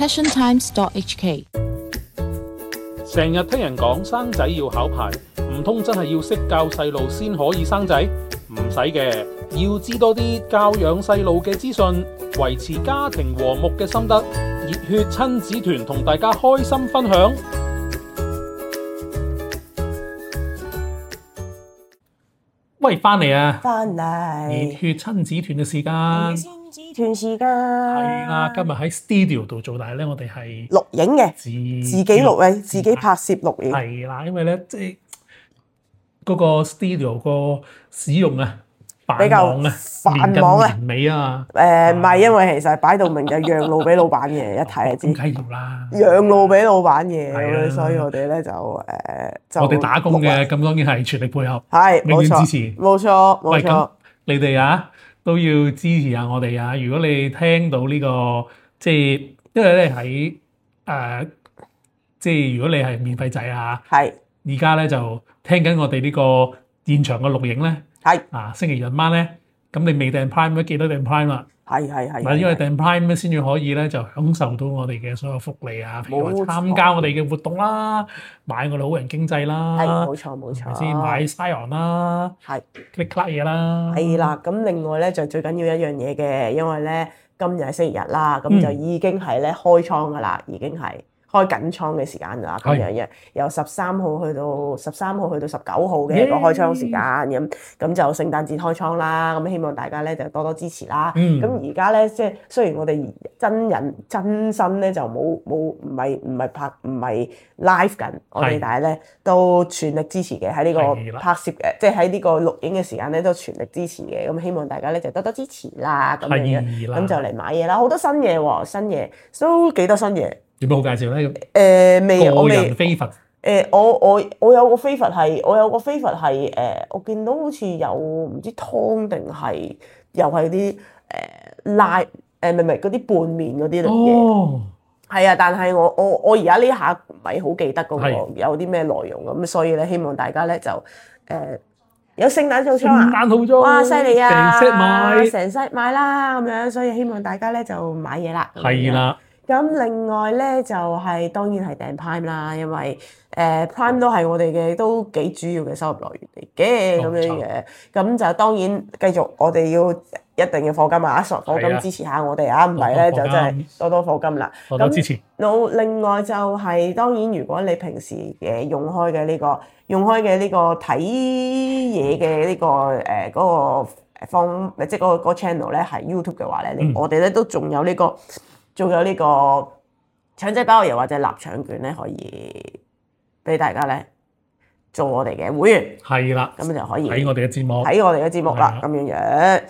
passiontimes.hk。成日聽人講生仔要考牌，唔通真係要識教細路先可以生仔？唔使嘅，要知多啲教養細路嘅資訊，維持家庭和睦嘅心得。熱血親子團同大家開心分享。喂，翻嚟啊！翻嚟熱血親子團嘅時間，親子團時間係啦。今日喺 studio 度做，但係咧我哋係錄影嘅，自己錄嘅，自己拍攝錄影。係啦，因為咧即係嗰個 studio 個使用啊，比較繁忙啊，年尾啊，唔係，因為其實擺到明就讓路俾老闆嘅，一睇就知。梗係要啦，讓路俾老闆嘅，咁所以我哋咧就我哋打工嘅，咁當然係全力配合，係永遠支持，冇錯冇錯。你哋啊都要支持下我哋啊！如果你聽到呢個即係，因為咧喺即係如果你係免費仔啊，係而家咧就聽緊我哋呢個現場嘅錄影咧，係星期日晚咧，咁你未訂 Prime 都記得訂 Prime 啦。係嗱，因為訂 Prime 咧先至可以咧就享受到我哋嘅所有福利啊，譬如話參加我哋嘅活動啦，買我哋好人經濟啦，係冇錯冇錯，先買 Scion 啦，係 click clack 嘢啦，係啦。咁另外咧就最緊要一樣嘢嘅，因為咧今日係星期日啦，咁就已經係咧開倉噶啦，已經係開緊倉嘅時間啦，咁樣嘅由13號去到19號嘅一個開倉時間，咁就聖誕節開倉啦，咁希望大家咧就多多支持啦。咁而家咧即係雖然我哋真身咧就唔係 live 緊，我哋但係咧都全力支持嘅，喺呢個拍攝嘅，即係喺呢個錄影嘅時間咧都全力支持嘅，咁希望大家咧就多多支持啦，咁樣咁就嚟買嘢啦，好多新嘢喎，新嘢都幾多新嘢。有冇好介紹咧？我未。個人飛佛。我有個飛佛係，我見到好似有唔知湯定係又係啲拉唔係嗰啲拌麵嗰啲嚟嘅。係啊，但係我而家呢下唔係好記得嗰個有啲咩內容咁，所以咧希望大家咧就有聖誕套裝啊！聖誕套裝，哇犀利啊！成 set 買啦咁樣，所以希望大家咧就買嘢啦。係啦。咁另外咧就係當然係訂 Prime 啦，因為Prime 都係我哋嘅都幾主要嘅收入來源嚟嘅咁樣嘅，咁就當然繼續我哋要一定要課金啊，課金支持下我哋啊，唔係咧就真係多多課金啦。多多支持。另外就係當然，如果你平時用開嘅呢個睇嘢嘅呢個嗰個即係嗰個 channel 咧係 YouTube 嘅話咧，我哋咧都仲有呢個腸仔包又或者臘腸券咧，可以俾大家咧做我哋嘅會員。係啦，咁就可以睇我哋嘅節目啦，咁樣樣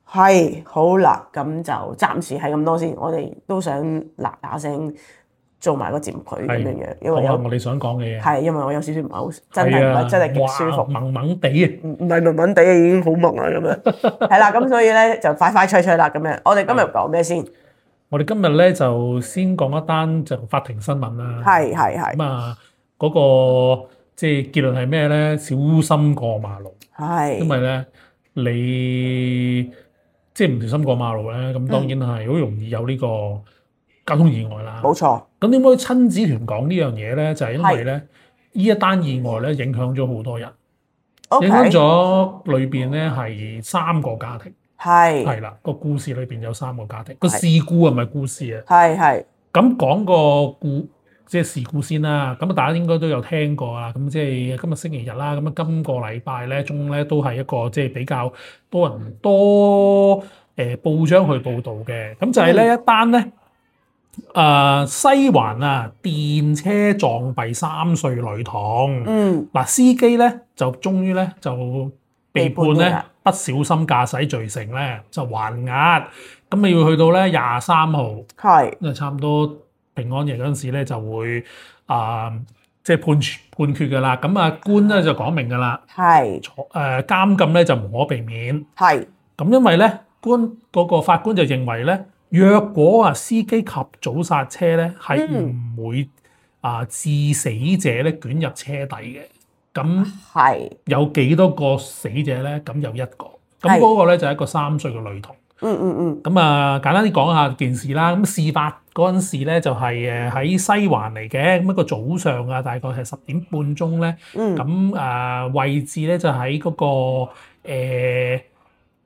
係好啦。咁就暫時係咁多先。我哋都想嗱聲做埋個節目佢咁樣樣，因為有我哋想講嘅嘢。係因為我有少少唔係好真係極舒服，萌萌地啊，唔係萌萌地已經好萌啦咁樣。係啦，咁所以咧就快快脆脆啦咁樣。我哋今日講咩先？我哋今日咧就先講一單就法庭新聞啦。係。咁啊，嗰個即係結論係咩咧？小心過馬路。係。因為咧，你即係唔小心過馬路咧，咁當然係好容易有呢個交通意外啦。冇錯。咁點解親子團講呢樣嘢咧？就係因為咧，呢一單意外咧影響咗好多人，影響咗裏邊咧係3個家庭。係啦，個故事裏邊有3個家庭，個事故係咪故事啊？係。咁講個即係事故先啦。咁大家應該都有聽過啦。咁即係今日星期日啦。咁啊，今個禮拜咧中咧都係一個即係比較多報章去報導嘅。咁就係呢一單咧，西環啊電車撞斃3歲女童。嗱，司機咧就終於咧就被判咧不小心駕駛罪成咧，就還押。咁你要去到咧23號，因為差唔多平安夜嗰陣時咧就會即係判決㗎啦。咁啊官咧就講明㗎啦，監禁咧就無可避免。咁因為咧嗰個法官就認為咧，若果司機及早剎車咧，係唔會致死者咧捲入車底嘅。咁有幾多個死者咧？咁有1個。咁嗰個咧就係一個3歲嘅女童。咁簡單啲講下件事啦。咁事發嗰陣時咧就係喺西環嚟嘅，咁一個早上啊，大概係10點半鐘咧，咁位置咧就喺嗰個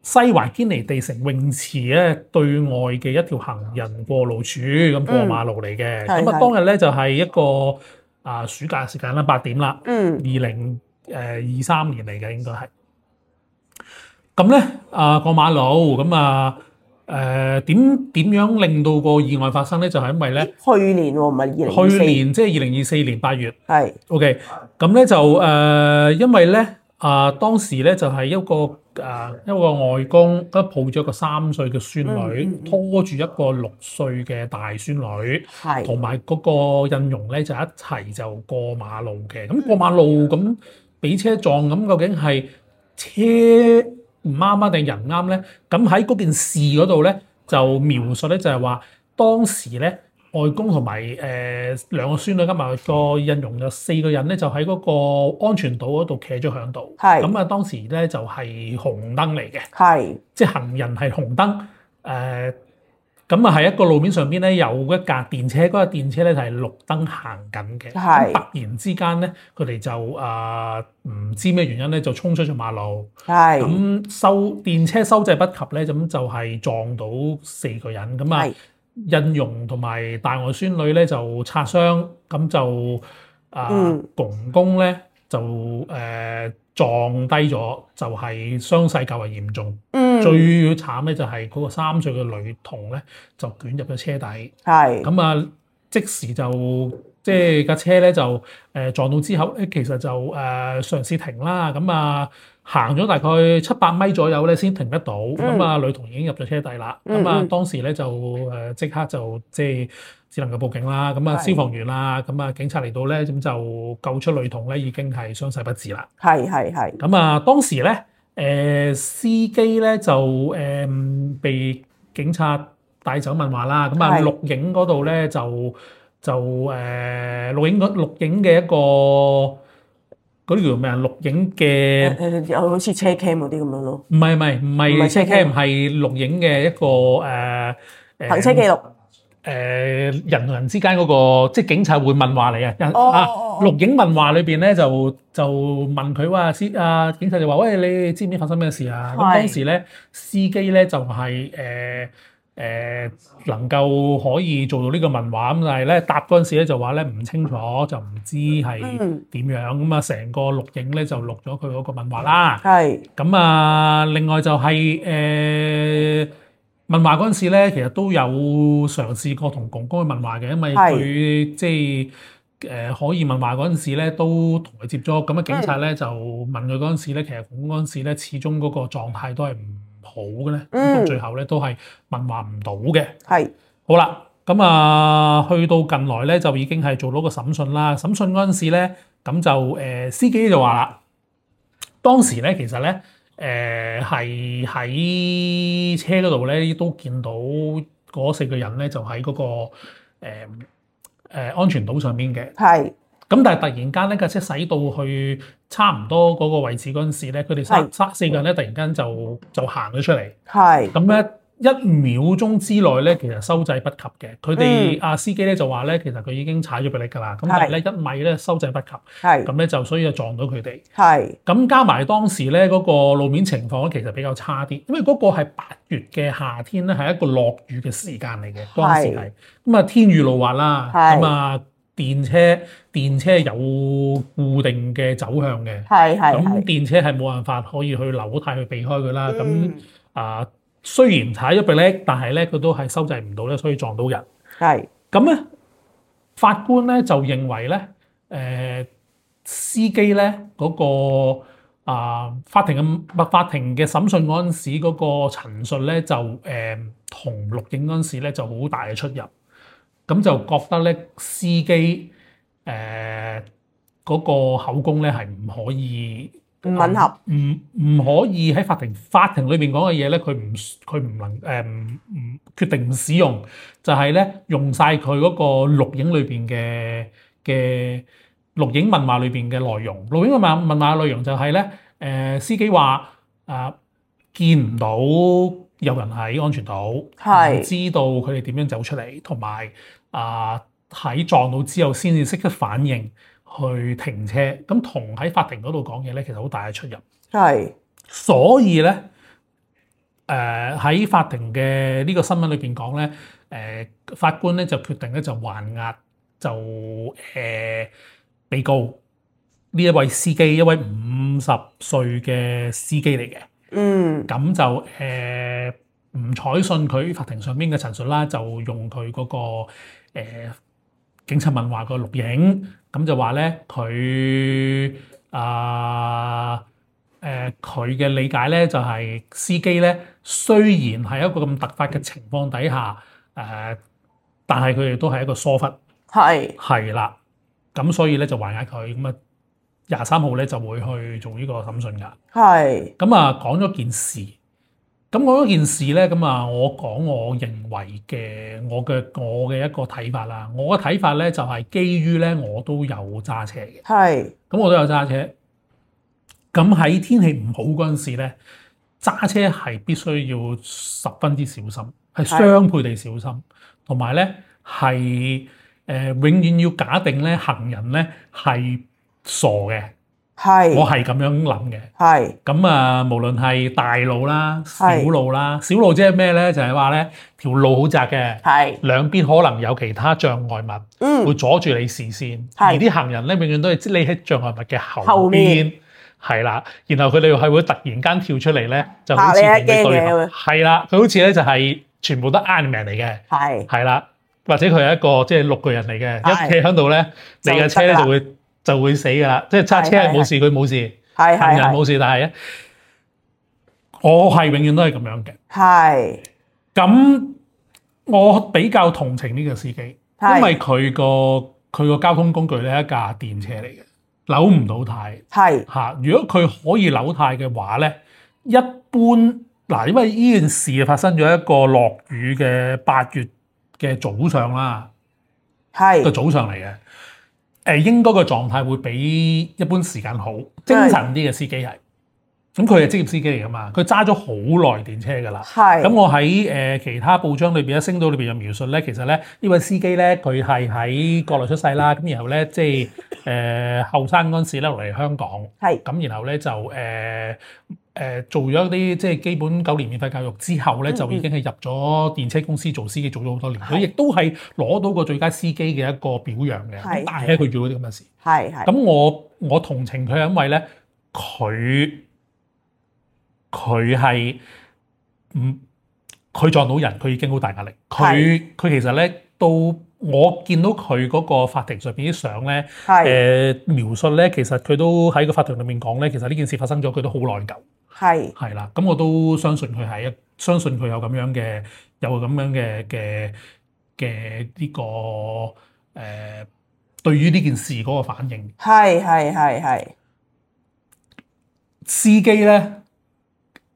西環堅尼地城泳池咧對外嘅一條行人過路處咁過馬路嚟嘅，咁當日咧就係一個暑假時間啦，8點啦，2023年嚟嘅應該係。咁咧過馬路咁點樣令到個意外發生咧？就係因為咧去年喎，唔係2024去年即係2024年8月。係 OK， 咁咧就因為咧當時咧就係一個外公咁抱咗一個3歲嘅孫女，拖住一個6歲嘅大孫女，同埋嗰個印傭咧就一齊就過馬路嘅。咁過馬路咁俾車撞，咁究竟係車唔啱啊定人啱咧？咁喺嗰件事嗰度咧就描述咧就係話當時咧外公同埋兩個孫女加埋個印傭有4個人咧就喺嗰個安全島嗰度企咗喺度。咁當時咧就係紅燈嚟嘅，即係行人係紅燈。咁喺一個路面上邊咧有一架電車，嗰架電車咧就係綠燈行緊嘅。咁突然之間咧，佢哋就唔知咩原因咧就衝出咗馬路。咁電車收掣不及咧，咁就係撞到4個人。咁印傭同埋大外孫女咧就擦傷，咁就公公咧就撞低咗，就係傷勢較為嚴重。最慘咧就係嗰個3歲嘅女童咧就捲入咗車底。咁即時就即係架車咧就撞到之後咧，其實就嘗試停啦。咁行咗大概700米左右咧先停得到。咁女童已經入咗車底啦。咁當時咧就即刻就即係只能夠報警啦。咁消防員啦，咁警察嚟到咧，咁就救出女童咧，已經係傷勢不治啦。咁當時咧司機咧就被警察帶走問話啦。咁錄影嗰度咧就錄影嘅一個嗰啲叫咩啊？錄影嘅好似車 cam 嗰啲咁樣咯。唔係車 cam，係錄影嘅一個行車記錄。人同人之間嗰個，即係警察會問話你啊。錄影問話裏邊咧就問佢話警察就話：喂，你知唔知發生咩事啊？咁當時咧司機咧就係能夠可以做到呢個問話，咁但係咧答嗰陣時咧就話咧唔清楚，就唔知係點樣。咁成個錄影咧就錄咗佢嗰個問話啦。咁另外就係問話嗰陣時咧，其實都有嘗試過同公公去問話嘅，因為佢即係可以問話嗰陣時咧，都同佢接觸。咁警察咧就問佢嗰陣時咧，其實公公嗰陣時咧，始終嗰個狀態都係唔好嘅咧，到最後咧都係問話唔到嘅。好啦，咁去到近來咧就已經係做到個審訊啦。審訊嗰陣時咧，咁就司機就話啦，當時咧其實咧。係喺車嗰度咧，都見到嗰4個人咧，就喺嗰個安全島上邊嘅。咁但係突然間咧，架車駛到去差唔多嗰個位置嗰陣時咧，佢哋4個人咧突然間就行咗出嚟。咁咧1秒鐘之內咧，其實收掣不及嘅。佢哋司機咧就話咧，其實佢已經踩咗迫力㗎啦。咁但係咧1米咧收掣不及。咁咧就所以就撞到佢哋。咁加埋當時咧嗰個路面情況咧，其實比較差啲，因為嗰個係8月嘅夏天咧，係一個落雨嘅時間嚟嘅。當時係咁天雨路滑啦。咁電車有固定嘅走向嘅。咁電車係冇辦法可以去扭軚去避開佢啦。咁雖然踩咗迫力，但係咧佢都係收掣唔到咧，所以撞到人。咁咧，法官咧就認為咧，司機咧嗰個法庭嘅審訊嗰陣時嗰個陳述咧就同錄影嗰陣時咧就好大嘅出入，咁就覺得咧司機嗰個口供咧係唔可以唔吻合，唔可以喺法庭裏邊講嘅嘢咧，佢唔能唔決定唔使用，就係咧用晒佢嗰個錄影裏邊嘅錄影問話裏邊嘅內容。錄影問話嘅內容就係咧司機話見唔到有人喺安全島，唔知道佢哋點樣走出嚟，同埋喺撞到之後先至識得反應去停車。咁同喺法庭嗰度講嘢咧，其實好大嘅出入。係，所以咧，喺法庭嘅呢個新聞裏邊講咧，法官咧就決定咧就還押就被告呢一位司機，一位50歲嘅司機嚟嘅。咁就唔採信佢法庭上邊嘅陳述啦，就用佢嗰個警察問話個錄影，咁就話咧佢佢嘅理解咧就係司機咧雖然係一個咁突發嘅情況底下，但係佢哋都係一個疏忽，係啦，咁所以咧就還押佢，咁啊23號咧就會去做呢個審訊㗎。咁啊講咗件事，咁講咗件事咧，咁啊我講我認為嘅我嘅一個睇法啦。我嘅睇法咧就係基於咧我都有揸車嘅，咁我都有揸車。咁喺天氣唔好嗰陣時咧，揸車係必須要十分之小心，係雙倍地小心，同埋咧係永遠要假定咧行人咧係傻嘅，我係咁樣諗嘅。咁啊，無論係大路啦、小路啦，小路即係咩咧？就係話咧條路好窄嘅，兩邊可能有其他障礙物，會阻住你視線，而啲行人咧永遠都係匿喺障礙物嘅後邊。係啦，然後佢哋係會突然間跳出嚟咧，就好似同你對頭。係啦，佢好似咧就係全部都 Iron Man 嚟嘅。係啦，或者佢係一個即係綠巨人嚟嘅，一企喺度咧，你嘅車咧就會死㗎啦。即係揸車係冇事，佢冇事，行人冇事，但係咧，我係永遠都係咁樣嘅。咁我比較同情呢個司機，因為佢個交通工具咧係一架電車嚟嘅。扭唔到軚，如果佢可以扭軚嘅話咧，一般嗱，因為呢件事發生咗一個落雨嘅8月嘅早上啦，個早上嚟嘅，應該個狀態會比一般時間好，精神啲嘅司機係。咁佢係職業司機嚟噶嘛，佢揸咗好耐電車噶啦。咁我喺其他報章裏邊，星島裏邊有描述咧，其實咧呢位司機咧，佢係喺國內出世啦，咁然後咧即係後生嗰陣時咧落嚟香港，咁然後咧就做咗啲即係基本9年免費教育之後咧，就已經係入咗電車公司做司機，做咗好多年。佢亦都係攞到個最佳司機嘅一個表揚嘅。但係佢做咗啲咁嘅事。咁我同情佢，因為咧佢係佢撞到人，佢已經好大壓力。佢其實咧都我見到佢嗰個法庭上邊啲相咧，描述咧，其實佢都喺個法庭裏面講咧，其實呢件事發生咗，佢都好內疚。係啦，咁我都相信佢相信佢有咁樣嘅呢個對於呢件事嗰個反應。司機咧。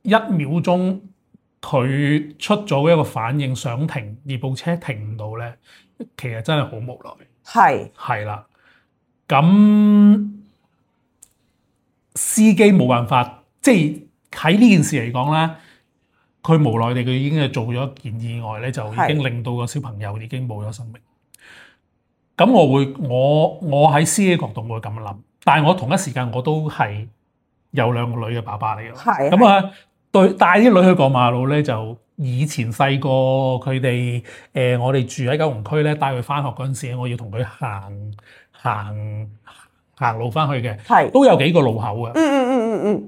1秒鐘佢出咗一個反應想停，而部車停唔到咧，其實真係好無奈。係啦，咁司機冇辦法，即係喺呢件事嚟講咧，佢無奈地佢已經係做咗一件意外咧，就已經令到個小朋友已經冇咗生命。咁我喺司機角度會咁樣諗，但係我同一時間我都係有2個女嘅爸爸嚟嘅。咁啊。帶啲女去過馬路咧，就以前細個佢哋我哋住喺九龍區咧，帶佢翻學嗰陣時，我要同佢行路翻去嘅，都有幾個路口嘅。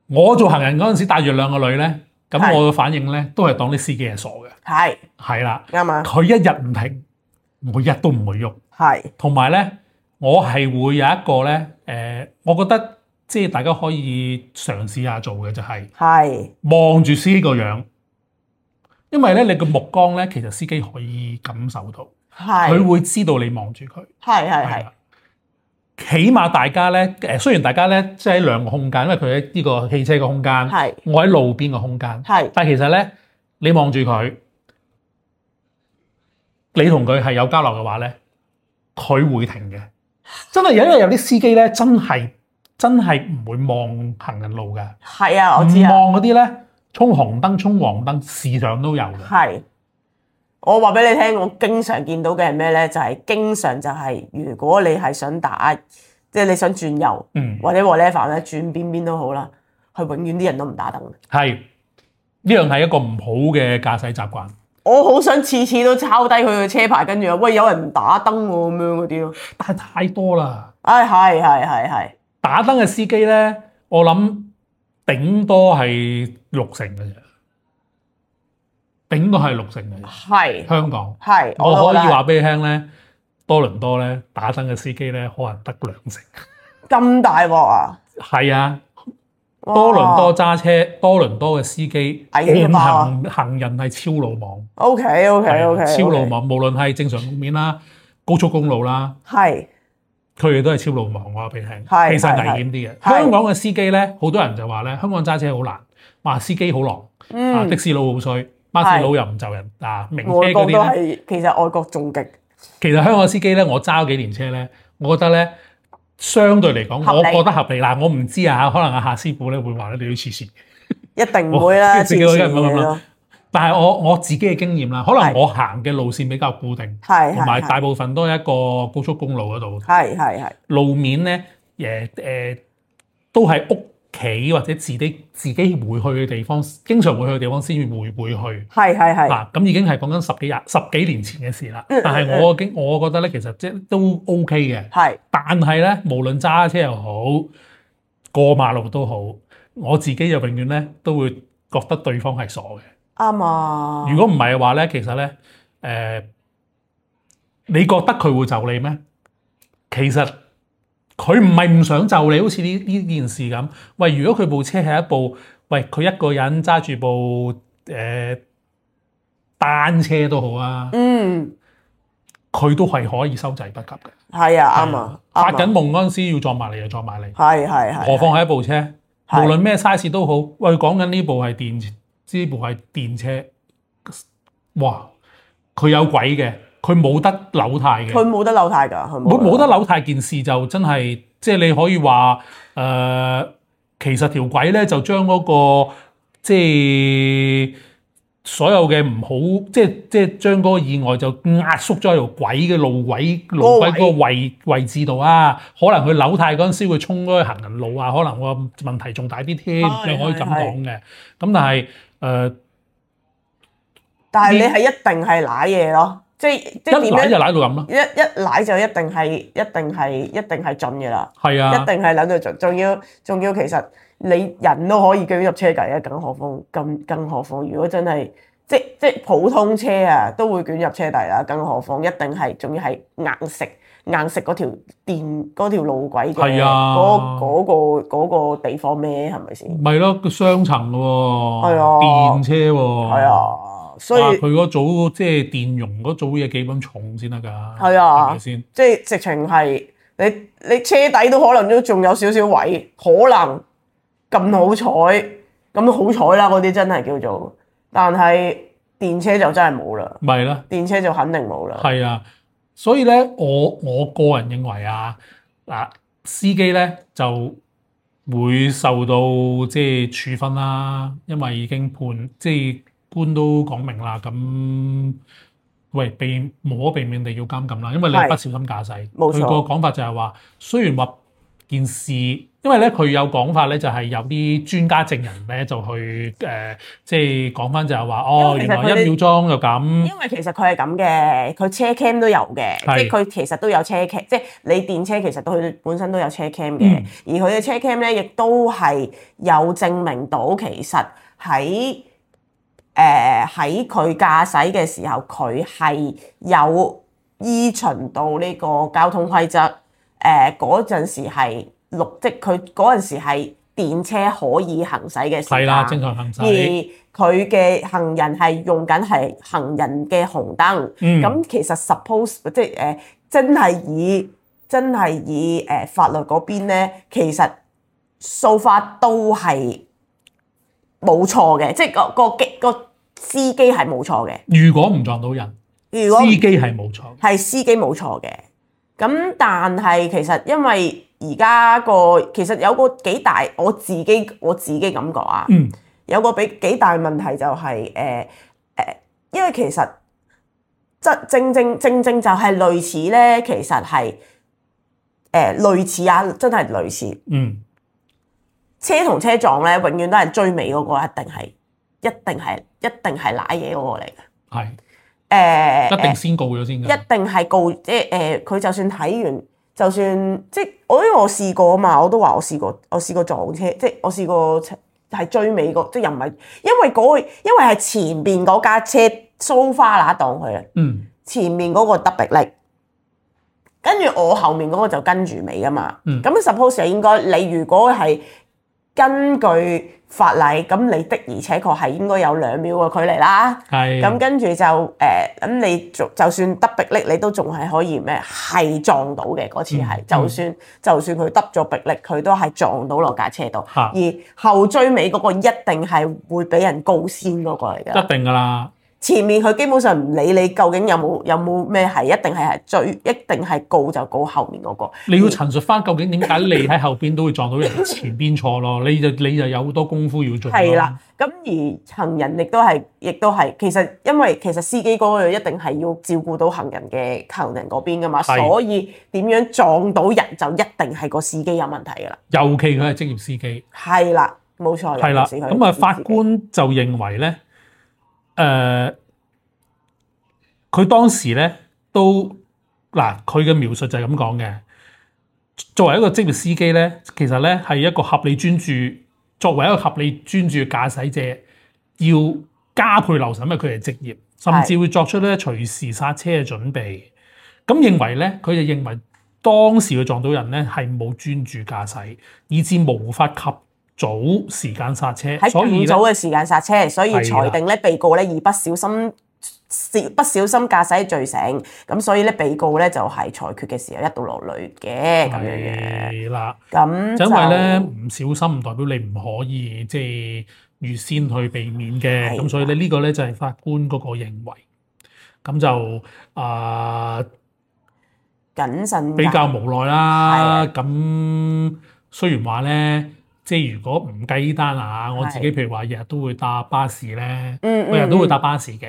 我做行人嗰陣時帶住2個女咧，咁我嘅反應咧都係當啲司機係傻嘅。係啦，啱啊！佢一日唔停，我一日都唔會喐。同埋咧，我係會有一個咧，我覺得。即係大家可以嘗試下做嘅就係望住司機個樣，因為咧你個目光咧其實司機可以感受到，佢會知道你望住佢。起碼大家咧雖然大家咧即係喺2個空間，因為佢喺呢個汽車嘅空間，我喺路邊嘅空間，但係其實咧你望住佢，你同佢係有交流嘅話咧，佢會停嘅。真係因為有啲司機咧真係唔會望行人路㗎。我知啊。唔望嗰啲咧，衝紅燈、衝黃燈，時常都有嘅。係。我話俾你聽，我經常見到嘅係咩咧？就係、經常就係、如果你係想打，即係你想轉右，或者 whatever 咧，轉邊都好啦，係永遠啲人都唔打燈。係呢樣係一個唔好嘅駕駛習慣。我好想次次都抄低佢嘅車牌，跟住話喂有人唔打燈喎咁樣嗰啲咯。但係太多啦。係。打燈嘅司機咧，我諗頂多係60%嘅啫。頂多係60%嘅，係香港係，我可以話俾你聽咧，多倫多咧打燈嘅司機咧可能得2%。咁大鑊啊！係啊，多倫多揸車，多倫多嘅司機按行人係超魯莽。OK，超魯莽，無論係正常路面啦、高速公路啦，係佢哋都係超魯莽。我話俾你聽，其係實危險啲嘅。香港嘅司機咧，好多人就話咧，香港揸車好難，話司機好狼，的士佬好衰。巴士佬又唔就人名車嗰啲咧，外國都係其實外國仲極。其實香港司機咧，我揸咗幾年車咧，我覺得咧，相對嚟講，我覺得合理。嗱，我唔知啊，可能阿夏師傅咧會話咧你要黐線，一定唔會啦，自己都咁啦。但係我自己嘅經驗啦，可能我行嘅路線比較固定，同埋大部分都係一個高速公路嗰度，係路面咧都係屋企或者自己會去嘅地方，經常會去嘅地方先會去。係咁已經係講緊十幾年前嘅事啦。但係我覺得咧，其實即係都 OK 嘅。係。但係咧，無論揸車又好，過馬路都好，我自己就永遠咧都會覺得對方係傻嘅。啱啊！如果唔係嘅話咧，其實咧你覺得佢會就你咩？其實佢唔係唔想就你，好似呢件事咁。喂，如果佢部車係一部，喂佢一個人揸住部單車都好啊，佢都係可以收掣不及嘅。係啊，啱啊！發緊夢嗰陣時要撞埋嚟就撞埋嚟，係。何況係一部車，無論咩 size 都好。喂，講緊呢部係電車，哇！佢有鬼嘅。佢冇得扭軚嘅，佢冇得扭軚㗎，冇得扭軚件事就真係，即係你可以話其實條軌咧就將嗰個即係所有嘅唔好，即係將嗰個意外就壓縮咗喺條軌嘅路軌嗰個位置度啊。可能佢扭軚嗰陣時會衝嗰個行人路啊，可能個問題仲大啲添，你可以咁講嘅。咁但係但係你係一定係舐嘢咯。即係點樣？就舐到咁咯。一舐就一定係盡嘅啦。係啊，一定係舐到盡。仲要，其實你人都可以捲入車底啊，更何況如果真係即普通車啊，都會捲入車底啦。更何況一定係仲要係硬食嗰條路軌嘅嗰個地方咩？係咪先？咪咯，個雙層嘅喎，係啊，電車喎，係啊。所以佢嗰組即係電容嗰組嘢幾咁重先得㗎？係啊，係咪先？即係直情係你車底都可能都仲有少少位，可能咁好彩，咁好彩啦，嗰啲真係叫做。但係電車就真係冇啦，咪啦，電車就肯定冇啦。係啊，所以咧，我個人認為啊，司機咧就會受到即係處分啦，因為已經判即係。官都講明啦，咁喂無可避免地要監禁啦，因為你不小心駕駛。冇錯。佢個講法就係話，雖然話件事，因為咧佢有講法咧，就係有啲專家證人咧就去即係講翻就係話，原來1秒鐘就咁。因為其實佢係咁嘅，佢車 cam 都有嘅，即係佢其實都有車 cam，即係你電車其實都佢本身都有車 cam 嘅，而佢嘅車 cam 咧亦都係有證明到其實喺佢駕駛嘅時候，佢係有依循到呢個交通規則。嗰陣時係即佢嗰陣時係電車可以行駛嘅時間。係啦，正常行駛。而佢嘅行人係用緊係行人嘅紅燈。咁其實 suppose 即係真係以法律嗰邊咧，其實 so far 都係冇錯嘅，即係個司機係冇錯嘅。如果唔撞到人，司機係冇錯，係司機冇錯嘅。咁但係其實因為而家其實有個幾大，我自己感覺啊，有個幾大問題就係因為其實正就係類似咧，其實係類似啊，真係類似。車同車撞咧，永遠都係追尾嗰個一定係賴嘢嗰個嚟嘅。係一定先告咗先㗎。一定係告，即係佢就算睇完，就算即係因為我試過啊嘛，我都話我試過撞車，即係我試過係追尾個，即係又唔係因為係前邊嗰架車蘇花那當佢啊。前面嗰個得迫力，跟住我後面嗰個就跟住尾㗎嘛。咁 suppose 係應該你如果係根據法例，咁你的而且確係應該有2秒嘅距離啦。咁跟住就咁你就算得迫力，你都仲係可以咩？係撞到嘅嗰次係，就算佢得咗迫力，佢都係撞到落架車度。而後追尾嗰個一定係會俾人告先嗰個嚟㗎。一定㗎啦。前面佢基本上唔理你究竟有冇咩係，一定係追，一定係告就告後面嗰個。你要陳述翻究竟點解你喺後邊都會撞到人前邊錯咯？你就有好多功夫要做。係啦，咁而行人亦都係，其實因為司機嗰個一定係要照顧到行人嗰邊噶嘛，所以點樣撞到人就一定係個司機有問題噶啦。尤其佢係職業司機。係啦，冇錯。係啦，咁啊法官就認為咧。佢當時咧都嗱，佢嘅描述就係咁講嘅。作為一個職業司機咧，其實咧係一個合理專注。作為一個合理專注嘅駕駛者，要加倍留神，因為佢係職業，甚至會作出咧隨時剎車嘅準備。咁認為咧，佢就認為當時佢撞到人咧係冇專注駕駛，以致無法及早時間剎車，喺更早嘅時間剎車，所以裁定咧被告咧以不小心駕駛罪成，咁所以咧被告咧就係裁決嘅時候一刀落淚嘅咁樣嘅。係啦，咁因為咧唔小心唔代表你唔可以即係預先去避免嘅，咁所以咧呢個咧就係法官嗰個認為，咁就謹慎比較無奈啦。咁雖然話咧。即係如果唔計呢單啊，我自己譬如話日日都會搭巴士咧，我日日都會搭巴士嘅。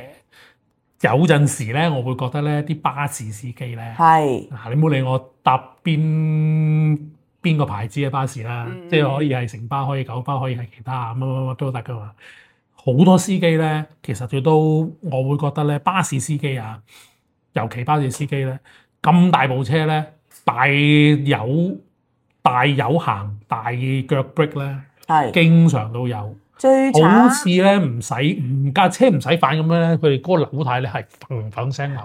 有陣時咧，我會覺得咧啲巴士司機咧，你唔好理我搭邊個牌子嘅巴士啦，即係可以係城巴，可以九巴，可以係其他乜都得噶嘛。好多司機咧，其實佢都我會覺得咧，巴士司機啊，尤其巴士司機咧，咁大部車咧，大有行大腳 break 咧，經常都有。最慘好似咧架車唔使反咁樣咧，佢哋嗰個扭軚咧係嘭嘭聲扭。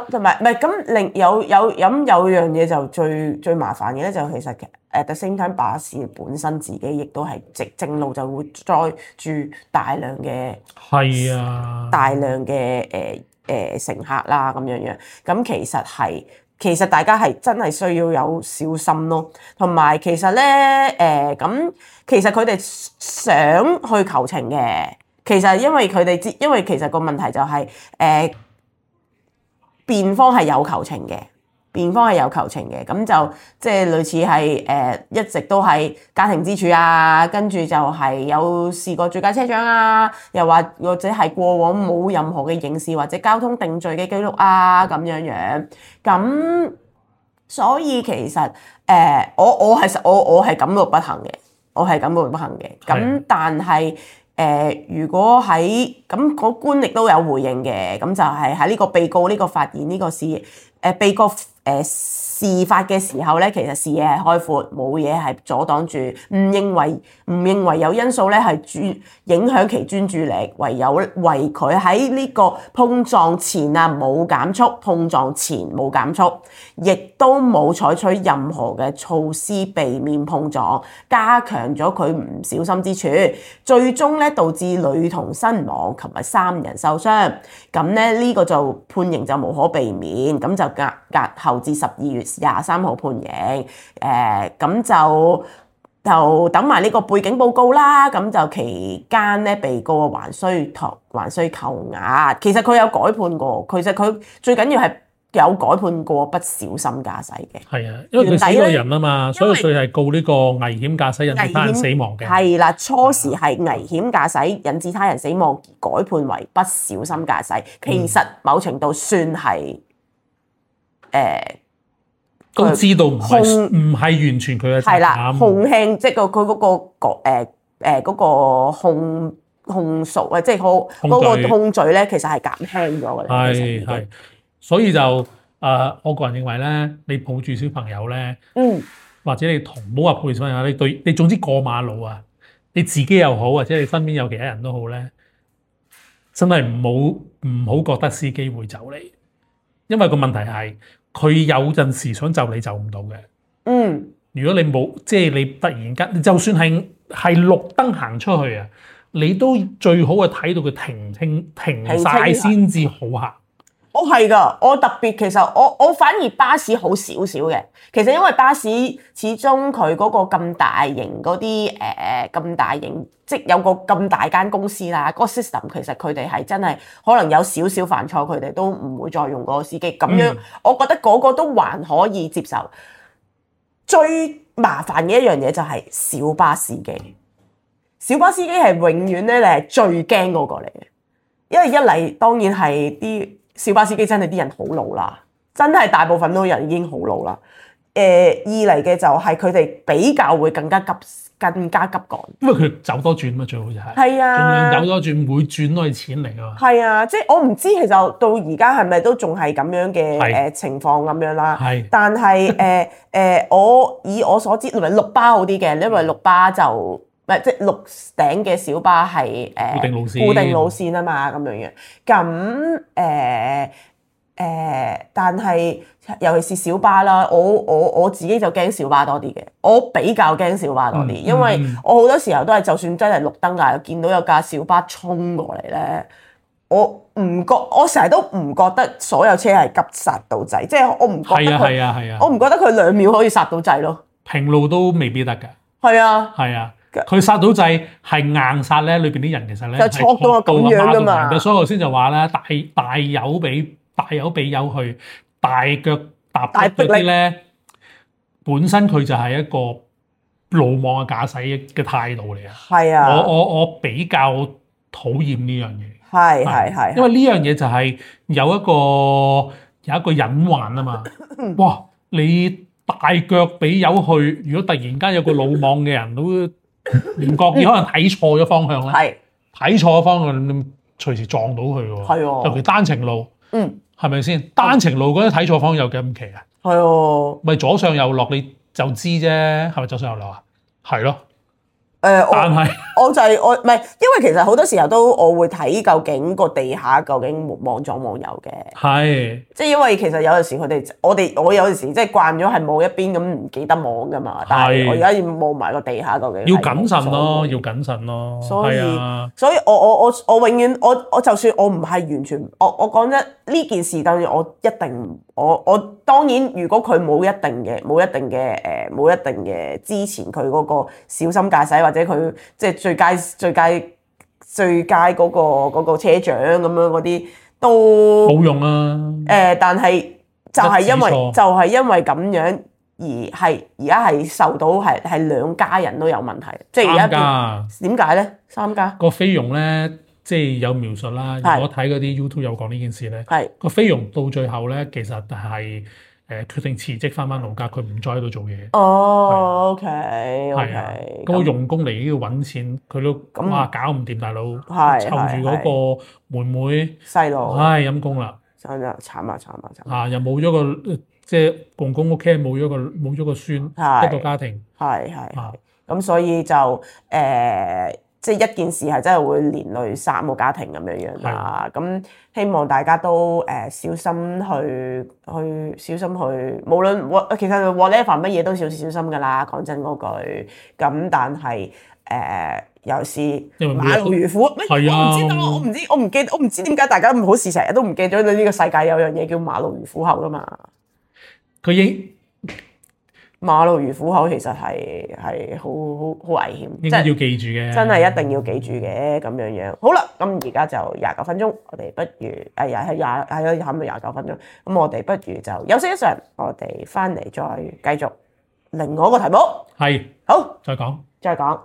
同埋唔係咁，有樣嘢就最麻煩嘅咧，就其實the same time 巴士本身自己亦都係正路就會載住大量嘅乘客啦咁樣。咁其實大家係真係需要有小心咯，同埋其實咧其實佢哋想去求情嘅，其實因為其實個問題就係辯方係有求情嘅。咁就即係類似係一直都係家庭支柱啊，跟住就係有試過醉駕車長啊，又或者係過往冇任何嘅刑事或者交通定罪嘅記錄啊咁樣。咁所以其實我係感到不幸嘅，咁但係如果喺咁個官亦都有回應嘅，咁就係喺呢個被告呢個發言呢個事被告事發嘅時候咧，其實視野係開闊，冇嘢係阻擋住，唔認為有因素咧係影響其專注力，唯佢喺呢個碰撞前啊冇減速，碰撞前冇減速，亦都冇採取任何嘅措施避免碰撞，加強咗佢唔小心之處，最終咧導致女童身亡及埋3人受傷。咁咧呢個就判刑就無可避免，咁就押後至12月23號判刑。咁就等埋呢個背景報告啦。咁就期間咧，被告還需扣押。其實佢有改判過，其實佢最緊要係有改判過不小心駕駛嘅。係啊，因為佢死過人啊嘛，所以佢係告呢個危險駕駛引致他人死亡嘅。係啦，初時係危險駕駛引致他人死亡而改判為不小心駕駛，其實某程度算係都知道唔係完全佢嘅責任。係啦，控輕即係佢嗰個嗰個控訴啊，即係嗰個控罪咧，其實係減輕咗嘅。係，所以就我個人認為咧，你抱住小朋友咧，或者你唔好話抱住小朋友，你總之過馬路啊，你自己又好，或者你身邊有其他人都好咧，真係唔好覺得司機會就你，因為個問題係佢有陣時想就你就唔到嘅。如果你冇即係你突然間，就算係綠燈行出去啊，你都最好係睇到佢停晒先至好行。我係㗎，我特別其實我反而巴士好少少嘅。其實因為巴士始終佢嗰個咁大型嗰啲咁大型，即係有個咁大間公司啦，嗰個 system 其實佢哋係真係可能有少少犯錯，佢哋都唔會再用嗰個司機。咁樣我覺得嗰個都還可以接受。最麻煩嘅一樣嘢就係小巴司機。小巴司機係永遠咧，你係最驚嗰個嚟嘅，因為一嚟當然係啲小巴司機真係啲人好老啦，真係大部分都人已經好老啦。二嚟嘅就係佢哋比較會更加急趕，因為佢走多轉嘛，最好就係。係啊，盡量走多轉，每轉都係錢嚟㗎嘛。係啊，即係我唔知其實到而家係咪都仲係咁樣嘅情況咁樣啦。係，但係以我所知，因為綠巴好啲嘅，因為綠巴就。即係綠頂嘅小巴係固定路線啊嘛，咁樣樣。咁但係尤其是小巴啦，我自己就驚小巴多啲嘅。我比較驚小巴多啲，因為我好多時候都係就算真係綠燈啊，見到有架小巴衝過嚟咧，我成日都唔覺得所有車係急剎到掣，即係我唔覺得佢，我唔覺得佢2秒可以剎到掣咯。平路都未必得㗎。係啊。係啊。佢剎到掣係硬剎咧，裏邊啲人其實咧係錯到咁樣㗎嘛。所以我先就話咧，大油俾油去，大腳踏嗰啲咧，本身佢就係一個魯莽嘅駕駛嘅態度嚟啊。係啊，我比較討厭呢樣嘢。係，因為呢樣嘢就係有一個隱患啊嘛。哇！你大腳俾油去，如果突然間有個魯莽嘅人都唔覺意可能睇錯咗方向咧，睇錯咗方向，你隨時撞到佢喎。係尤其單程路，係咪先？單程路嗰啲睇錯方向有幾咁奇啊？係咪左上右落你就知啫？係咪左上右落啊？係咯。但係我就係我唔係，因為其實好多時候都我會睇究竟個地下究竟望左望右嘅。係，即係因為其實有陣時佢哋我有陣時即係慣咗係望一邊咁唔記得望噶嘛，但係我而家要望埋個地下究竟。要謹慎咯，要謹慎咯。所以我永遠我就算我唔係完全我講真呢件事，當然我一定我當然如果佢冇一定嘅之前佢嗰個小心駕駛或者佢即係最佳嗰個車長咁樣嗰啲都冇用啊。但係就係因為咁樣而家係受到係兩家人都有問題，即係而家點解咧？3家個菲傭咧，即係有描述啦。我睇嗰啲 YouTube 有講呢件事咧，個菲傭到最後咧，其實係決定辭職翻老家，佢唔再喺度做嘢。哦，OK，係啊，咁個傭工嚟呢度揾錢，佢都哇搞唔掂，大佬湊住嗰個妹妹細路，唉陰公啦，真係慘啊！又冇咗個即係公公屋企冇咗個孫，一個家庭。係咁所以就即係一件事係真係會連累3個家庭咁樣啦。咁希望大家都小心去，無論其實 whatever 乜嘢都小心㗎啦。講真嗰句，咁但係有時馬路如虎，我唔知點解大家唔好事成日都唔記得呢個世界有樣嘢叫馬路如虎口㗎嘛。馬路如虎口其實係好危險，應該要記住嘅，真係一定要記住嘅咁樣樣。好啦，咁而家就29分鐘，我哋不如又係差唔多29分鐘，咁我哋不如就休息一陣，我哋翻嚟再繼續另外一個題目。係，好，再講。再講。